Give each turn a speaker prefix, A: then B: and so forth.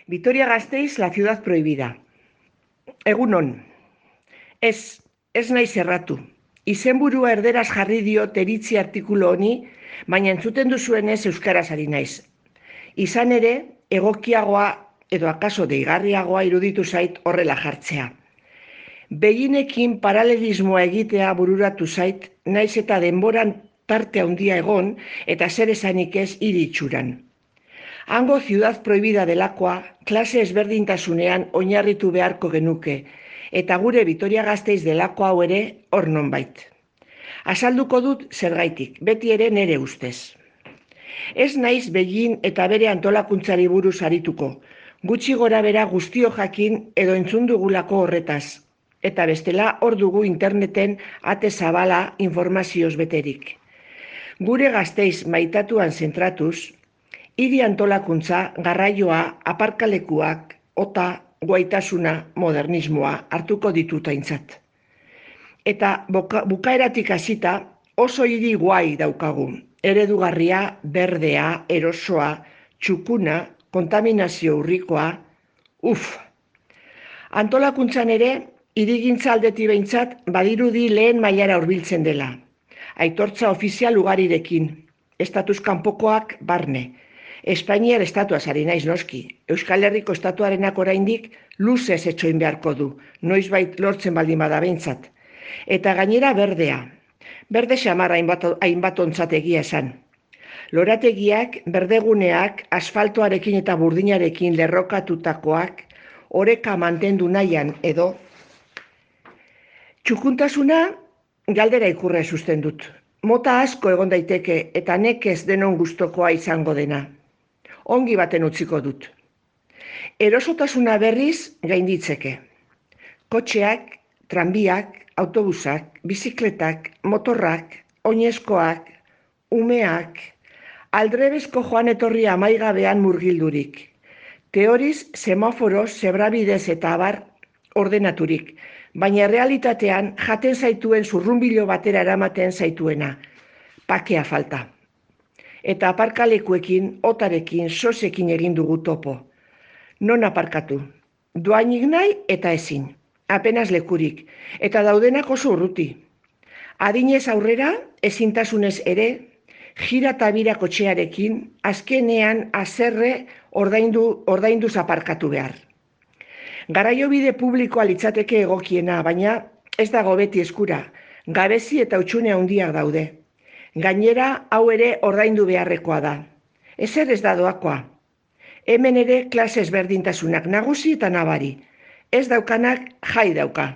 A: Vitoria-Gasteiz, la ciudad prohibida. Egunon, ez naiz erratu. Izenburua erderaz jarri dio teritzi artikulu honi, baina entzuten duzuenez euskaraz ari naiz. Izan ere, egokiagoa edo akaso deigarriagoa iruditu zait horrela jartzea. Beginekin paralelismoa egitea bururatu zait, naiz eta denboran tarte handia egon eta zer esanik ez hiri itxuran. Hango ciudad prohibida delakoa klase ezberdintasunean oinarritu beharko genuke, eta gure Vitoria-Gasteiz delako hau ere hor nonbait. Azalduko dut zergaitik, beti ere nere ustez. Ez naiz Begin eta bere antolakuntzari buruz arituko, gutxi gora bera guztio jakin edo entzun dugulako horretaz, eta bestela hor dugu interneten ate zabala informazioz beterik. Gure Gasteiz maitatuan zentratuz, hiri antolakuntza, garraioa, aparkalekuak, ota, guaitasuna, modernismoa hartuko ditut aintzat. Eta bukaeratik hasita oso hiri guai daukagu. Eredugarria, berdea, erosoa, txukuna, kontaminazio urrikoa, Antolakuntzan ere, hirigintza aldetik behintzat badirudi lehen mailara hurbiltzen dela. Aitortza ofizial ugarirekin, estatuz kanpokoak barne. Espainiar estatuaz ari naiz noski. Euskal Herriko estatuarenak oraindik luzez etxoin beharko du, noizbait lortzen baldin bada behintzat. Eta gainera berdea. Berde xamar hainbat ontzat egia esan. Lorategiak, berdeguneak, asfaltoarekin eta burdinarekin lerrokatutakoak, oreka mantendu nahian edo. Txukuntasuna galdera ikurra susten dut. Mota asko egon daiteke eta nekez denon gustokoa izango dena. Ongi baten utziko dut. Erosotasuna berriz gainditzeke. Kotxeak, tranbiak, autobusak, bizikletak, motorrak, oinezkoak, umeak, aldrebezko joan etorri amaigabean murgildurik. Teoriz, semaforos, zebrabidez eta abar ordenaturik, baina realitatean jaten zaituen zurrunbilo batera eramaten zaituena, pakea falta. Eta aparkalekuekin, otarekin, sosekin egin dugu topo. Non aparkatu? Doainik nahi eta ezin. Apenas lekurik, eta daudenak oso urruti. Adinez aurrera, ezintasunez ere, jira eta bira kotxearekin, azkenean azerre ordainduz aparkatu behar. Garraiobide publikoa litzateke egokiena, baina ez dago beti eskura, gabezi eta hutsune handiak daude. Gainera, hau ere ordaindu beharrekoa da. Ezer ez da doakoa. Hemen ere klase ezberdintasunak nagusi eta nabari. Ez daukanak jai dauka.